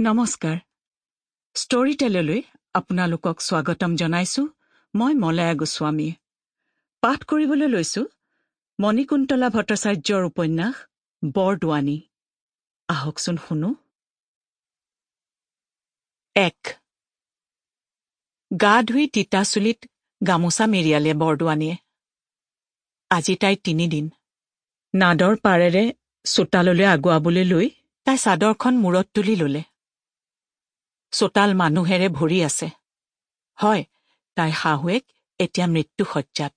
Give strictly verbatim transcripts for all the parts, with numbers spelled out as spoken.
নমস্কাৰ ষ্টৰী টেললৈ আপোনালোকক স্বাগতম জনাইছো মই মলয়া গোস্বামী পাঠ কৰিবলৈ লৈছো মণিকুন্তলা ভট্টাচাৰ্যৰ উপন্যাস বৰদোৱানী আহকচোন শুনো এক গা ধুই তিতা চুলিত গামোচা মেৰিয়ালে বৰদোৱানীয়ে আজি তাইৰ তিনিদিন নাদৰ পাৰেৰে চোতাললৈ আগুৱাবলৈ লৈ তাই চাদৰখন মূৰত তুলি ললে চোতাল মানুহেৰে ভৰি আছে হয় তাইৰ শাহুৱেক এতিয়া মৃত্যুশয্যাত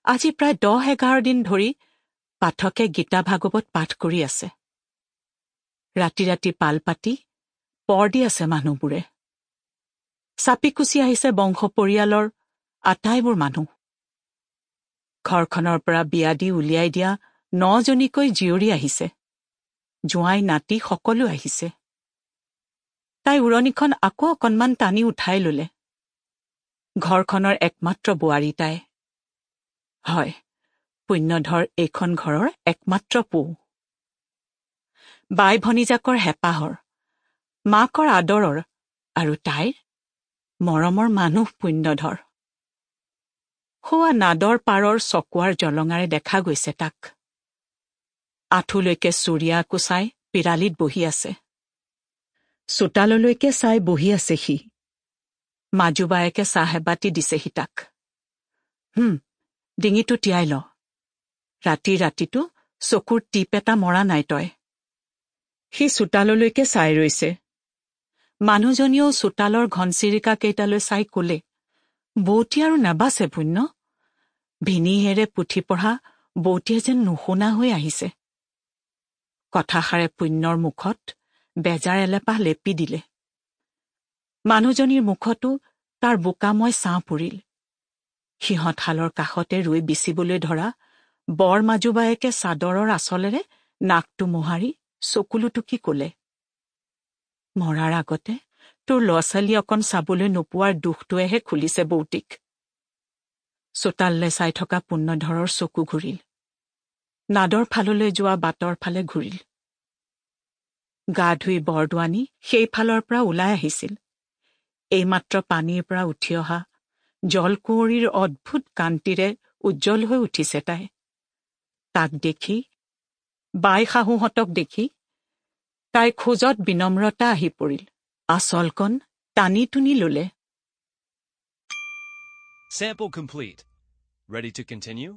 আজি প্ৰায় দহ এঘাৰ দিন ধৰি পাঠকে গীতা ভাগৱত পাঠ কৰি আছে ৰাতি ৰাতি পাল পাতি পৰ দি আছে মানুহবোৰে চাপি কুচি আহিছে বংশ পৰিয়ালৰ আটাইবোৰ মানুহ ঘৰখনৰ পৰা বিয়া দি উলিয়াই দিয়া নজনীকৈ জীয়ৰী আহিছে জোঁৱাই নাতি সকলো আহিছে তাই উৰণিখন আকৌ অকণমান টানি উঠাই ললে ঘৰখনৰ একমাত্ৰ বোৱাৰী তাই হয় পুণ্যধৰ এইখন ঘৰৰ একমাত্ৰ পো বাই ভনীজাকৰ হেঁপাহৰ মাকৰ আদৰৰ আৰু তাইৰ মৰমৰ মানুহ পুণ্যধৰ সৌৱা নাদৰ পাৰৰ চকোৱাৰ জলঙাৰে দেখা গৈছে তাক আঁঠুলৈকে চুৰিয়া কোচাই পিৰালিত বহি আছে চোতাললৈকে চাই বহি আছে সি মাজু বায়েকে চাহ এবাতি দিছেহি তাক হুম ডিঙিটো তিয়াই ল ৰাতি ৰাতিটো চকুৰ টিপ এটা মৰা নাই তই সি চোতাললৈকে চাই ৰৈছে মানুহজনীয়েও চোতালৰ ঘনচিৰিকা কেইটালৈ চাই কলে বৌতি আৰু নাবাচে পুণ্য ভিনিহেৰে পুথি পঢ়া বৌতিয়ে যেন নুশুনা হৈ আহিছে কথাষাৰে পুণ্যৰ মুখত বেজাৰ এলেপাহ লেপি দিলে মানুহজনীৰ মুখতো তাৰ বোকাময় ছাঁ পৰিল সিহঁতহালৰ কাষতে ৰৈ বিচিবলৈ ধৰা বৰ মাজুবায়েকে চাদৰৰ আঁচলেৰে নাকটো মোহাৰি চকুলো টুকি কলে মৰাৰ আগতে তোৰ ল'ৰা ছোৱালী অকণ চাবলৈ নোপোৱাৰ দুখটোৱেহে খুলিছে বৌতিক চোতাললৈ চাই থকা পুণ্যধৰৰ চকু ঘূৰিল নাদৰ ফাললৈ যোৱা বাটৰ ফালে ঘূৰিল গা ধুই বৰদোৱানী সেইফালৰ পৰা ওলাই আহিছিল এইমাত্ৰ পানীৰ পৰা উঠি অহা জলকুঁৱৰীৰ অদ্ভুত কান্তিৰে উজ্জ্বল হৈ উঠিছে তাই তাক দেখি বাই শাহুহঁতক দেখি তাইৰ খোজত বিনম্ৰতা আহি পৰিল আচলকণ টানি টুনি ললে Sample complete. Ready to continue?